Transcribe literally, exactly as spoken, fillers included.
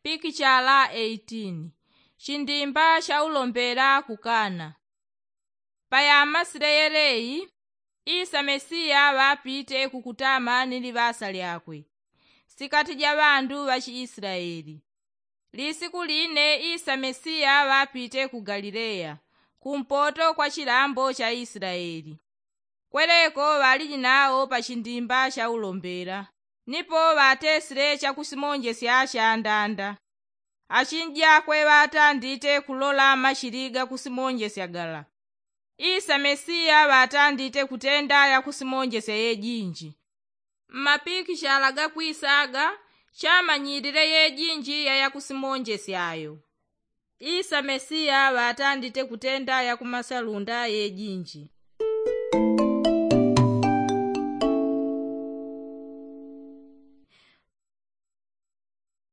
Pikichala eighteen. Chindimba cha ulombela kukana. Payamasile yeleyi, isa mesiya ŵapite kukutama ni liŵasa lyakwe sikati ja ŵandu ŵa chiisilaeli. Lisiku line isa mesiya ŵapite ku galileya, kumpoto kwa chilambo cha isilaeli. Kweleko ŵaliji nawo pa chindimba cha ulombela, nipo ŵatesile chakusimonjesya cha ndanda. Achinji akwe ŵatandite kulola machili gakusimonjesya gala. Isa mesiya ŵatandite kutenda yakusimonjesya yejinji. Mmapikichala gakwisa aga, chamanyilile yejinji ya yakusimonjesya ayo. Isa mesiya ŵatandite kutenda yakumasalunda yejinji.